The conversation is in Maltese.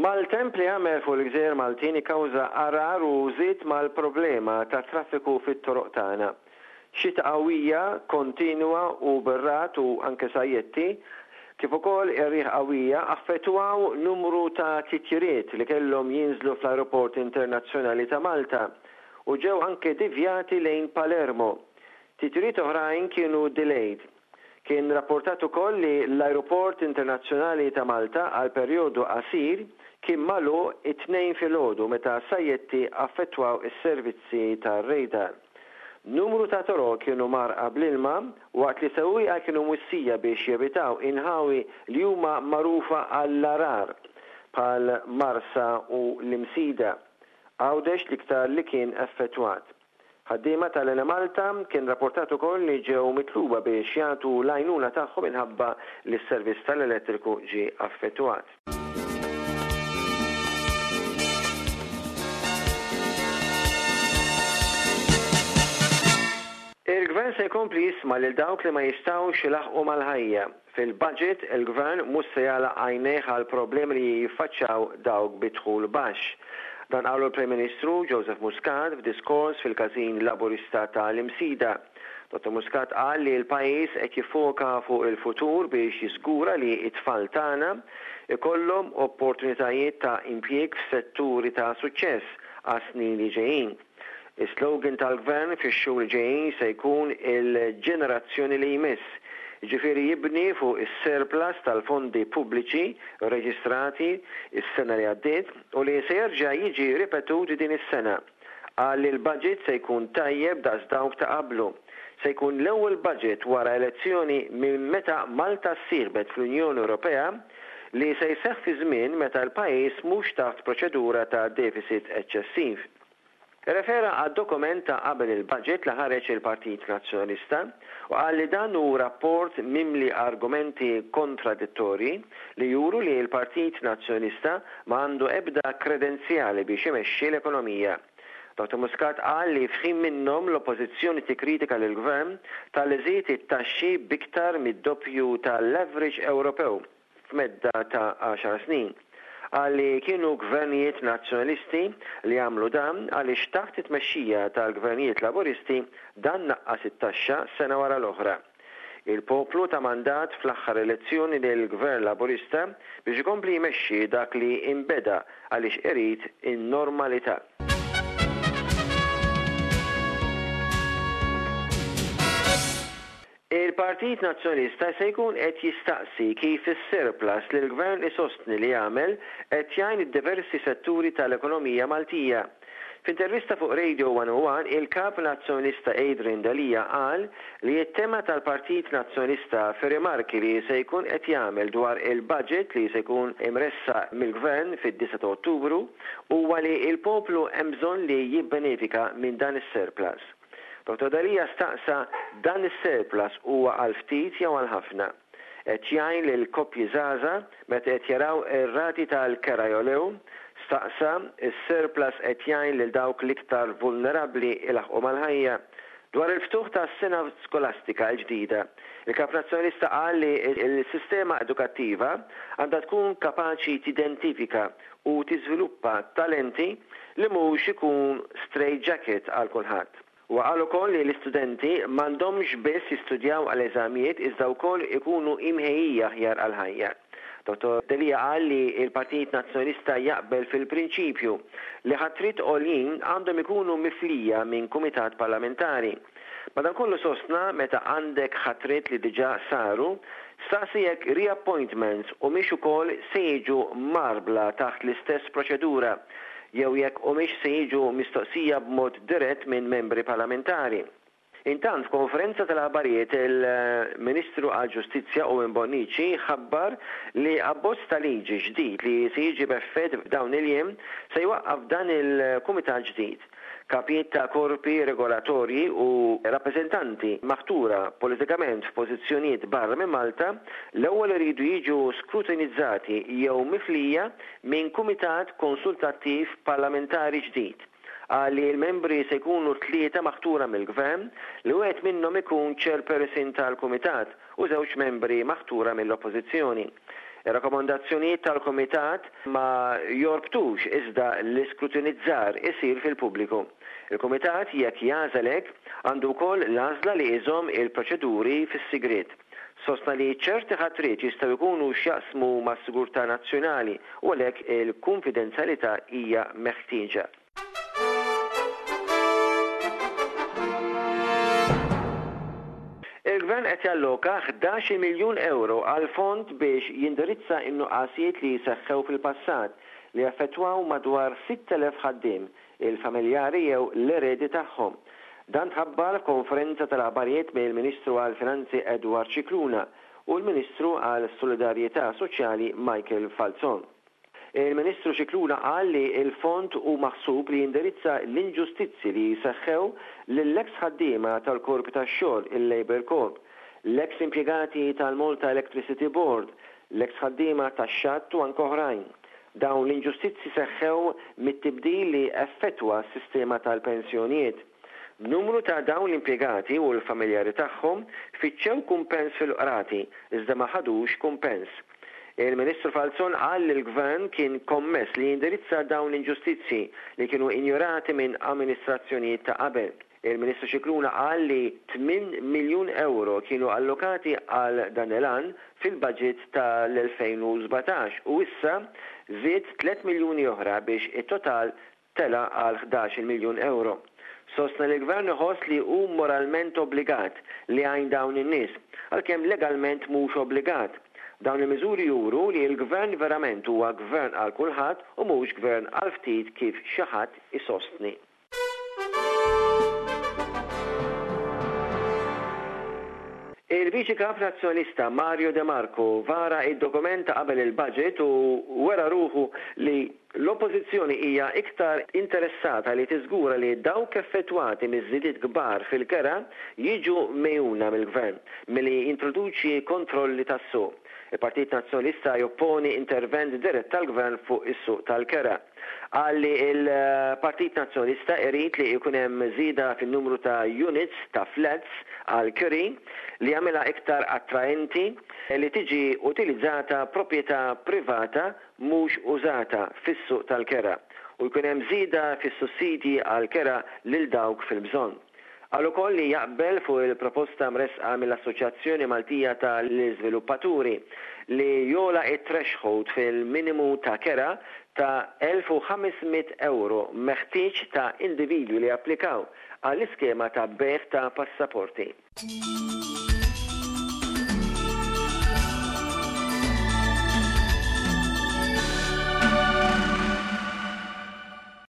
Maltemp li għamel fuq il-gżejjer Maltin ikkawża għargħar u żied mal-problema tat-traffiku fit-toroq tagħna. Xita qawwija, kontinwa u bir-ragħad u anke sajjetti, kif ukoll ir-riħ qawwija affettwaw numru ta' titjiriet li kellhom jinżlu fl-Ajruport Internazzjonali ta' Malta u ġew anke divjati lejn Palermo. Titjiriet oħrajn kienu delayed. Kien rapportat ukoll li l-Ajruport Internazzjonali ta' Malta għal perjodu qasir kien magħluq it-Tnejn filgħodu meta sajjetti affettwaw is-servizzi tar-radar. Numru ta' toroq kienu mgħarrqa bl-ilma waqt li sewwieqa kienu mwissija biex jevitaw inħawi li huma magħrufa għall-għarar bħal Marsa u l-Imsida. Għawdex l-iktar li kien effettwat. Ħaddiema tal-Enemalta kien rapportat ukoll li ġew mitluba biex jagħtu l-għajnuna tagħhom minħabba li s-servizz tal-elettriku ġie affettwat. Il-Gvern se jkompli jisma' lil dawk li ma jistgħux ilaħħqu mal-ħajja. Fil-budget, il-Gvern mhux se jagħlaq għajnejh għall-problemi li jiffaċċjaw dawk bi dħul baxx. Dan qalu l-Prim Ministru Joseph Muscat f'diskors fil-Każin Laburista ta' l-Imsida. Dottor Muscat qal li l-pajjiż qed jiffoka fuq il-futur biex jiżgura li t-tfal tagħna jkollhom opportunitajiet ta' impjieg f'setturi ta' suċċess għas-snin li ġejjin. Is-slogan tal-Gvern fix-xhur li ġejjin se jkun il-ġenerazzjoni li jmiss, jiġifieri jibni fuq is-surplus tal-fondi pubbliċi rreġistrati s-sena li għaddiet u li se jerġa' jiġi ripetut din is-sena. Qal li l-budget se jkun tajjeb daqs dawk ta' qablu. Se jkun l-ewwel budget wara elezzjoni minn meta Malta ssieħbet fl-Unjoni Ewropea li se jseħħ fi żmien meta l-pajjiż mhux taħt proċedura ta' deficit eċċessiv. Irrefera għad-dokument ta' qabel il-budget li ħareġ il-Partit Nazzjonalista u qal li dan hu rapport mimli argumenti kontradittorji li juru li l-Partit Nazzjonalista ma għandu ebda kredenzjali biex imexxi l-ekonomija. Dottor Muscat qal li f'ħin minnhom l-Oppożizzjoni tikkritika lill-Gvern talli żied it-taxxi b'iktar mid-doppju tal-average Ewropew. f'medda ta' għaxar snin. Qal li kienu gvernijiet Nazzjonalisti li għamlu dan għaliex taħt it-tmexxija tal-gvernijiet Laburisti dan naqqas it-taxxa sena wara l-oħra. Il-poplu ta mandat fl-aħħar elezzjoni lill-Gvern Laburista biex ikompli jmexxi dak li inbeda għaliex irid in-normalità. Il-Partit Nazzjonalista se jkun qed jistaqsi kif is-surplus li l-Gvern isostni li għamel qed jgħin id-diversi setturi tal-ekonomija Maltija. F'intervista fuq Radio 101, il-Kap Nazzjonalista Adrian Delia qal li t-tema tal-Partit Nazzjonalista fir-rimarki li se jkun qed jagħmel dwar il-budget li se jkun imressaq mill-Gvern fid-disgħa ta' Ottubru huwa li l-poplu hemm bżonn li jibbenefika minn dan is-surplus. Dottor Delia staqsa dan is-surplus huwa għal ftit jew għal ħafna? Qed jgħin lil koppji żgħażagħ meta qed jaraw ir-rati tal-kera jogħlew? Staqsa is-surplus qed jgħin lil dawk l-iktar vulnerabbli ilaħħqu mal-ħajja? Dwar il-ftuħ tas-sena skolastika l-ġdida, il-Kap Nazzjonalista qal li l-sistema edukattiva għandha tkun kapaċi tidentifika u tiżviluppa talenti li mhux ikun straight jacket għal kulħadd. Huwa qal ukoll li l-istudenti m'għandhomx biss jistudjaw għal eżamijiet iżda wkoll ikunu imħejjija aħjar għall-ħajja. Dottor Delia qal li l-Partit Nazzjonalista jaqbel fil-prinċipju li ħatriet għoljin għandhom ikunu miflija minn kumitat parlamentari. Madankollu sostna meta għandek ħatriet li diġà saru, staqsi jekk reappointments humiex ukoll se jiġu mgħarbla taħt l-istess proċedura jew jekk humiex se jiġu mistoqsija b'mod dirett minn membri parlamentari. Intant f'konferenza tal-aħbarijiet il-Ministru għall-Ġustizzja Owen Bonnici ħabbar li abbozz ta' liġi ġdid li se jiġi b'effett f'dawn il-jiem se jwaqqaf dan il-kumitat ġdid. Kapijiet ta' korpi regolatorji u rappreżentanti maħtura politikament f'pożizzjonijiet barra minn Malta l-ewwel iridu jiġu skrutinizzati jew miflija minn kumitat konsultattiv parlamentari ġdid. Qal li l-membri se jkunu tlieta maħtura mill-Gvern, li wieħed minnhom ikun Chairperson tal-Kumitat u żewġ membri maħtura mill-Oppożizzjoni. Ir-rakkomandazzjonijiet tal-Kumitat ma jorbtux iżda l-iskrutinizzar isir fil-pubbliku. Il-Kumitat, jekk jagħżel hekk, għandu wkoll l-għażla li iżomm il-proċeduri fis-sigriet. Sostna li ċerti ħatriet jistgħu jkunu x'jaqsmu mas-sigurtà nazzjonali u għalhekk il-kunfidenzjalità hija meħtieġa. Il-Gvern qed jalloka ħdax-il miljun ewro għal fond biex jindirizza n-nuqqasijiet li seħħew fil-passat li affettwaw madwar 6,000 ħaddiem, il-familjari jew l-eredi tagħhom. Dan tħabbar f'konferenza tal-aħbarijiet mill-Ministru għall-Finanzi Edward Scicluna u l-Ministru għal Solidarjetà Soċjali Michael Falzon. Il-Ministru Scicluna qal li l-fond hu maħsub li jindirizza l-inġustizzji li seħħew lill-eks ħaddiema tal-korpi tax-xogħol, il-Labour Corps, l-eks impjegati tal-Malta Electricity Board, l-eks ħaddiema tax-xatt u anke oħrajn. Dawn l-inġustizzji seħħew mit-tibdil li effettwa s-sistema tal-pensjonijiet. B'numru ta' dawn l-impjegati u l-familjari tagħhom fittxew kumpens fil-qrati iżda ma ħadux kumpens. Il-Ministru Falzon qal li l-Gvern kien kommess li jindirizza dawn l-inġustizzji li kienu injorati minn amministrazzjonijiet ta' qabel. Il-Ministru Scicluna qal li tminn miljun ewro kienu allokati għal dan il-għan fil-budget tal-2017 u issa żied tliet miljuni oħra biex it-total tela' għal ħdax-il miljun ewro. Sostna li l-Gvern iħoss li hu moralment obbligat li jgħin dawn in-nies, għalkemm legalment mhux obbligat. Dawn il-miżuri juru li l-Gvern verament huwa Gvern għal kulħadd u mhux Gvern għal ftit kif xi ħadd isostni. Il-Viċi Kap Nazzjonalista Mario De Marco vara id-dokument ta' qabel il-budget u wera ruħu li l-Oppożizzjoni hija iktar interessata li tiżgura li dawk effettwati miż-żidiet kbar fil-kera jiġu megħjuna mill-Gvern milli jintroduċi kontrolli tas-suq. Il-Partit Nazzjonalista jopponi intervent dirett tal-Gvern fuq is-suq tal-kera. Qal li l-Partit Nazzjonalista irid li jkun hemm żieda fin-numru ta' units ta' flats għall-kiri li jagħmilha iktar attraenti li tiġi utilizzata proprjetà privata mhux użata fis-suq tal-kera u jkun hemm żieda fis-sussidji għall-kera lil dawk fil-bżonn. Qal ukoll li jaqbel fuq il-proposta mressqa mill-Assoċjazzjoni Maltija ta' l-Iżviluppaturi li jogħla t-threshold fil-minimu ta' kera ta' 1,500 ewro meħtieġ ta' individwi li japplikaw għall-iskema ta' bejgħ ta' passaporti.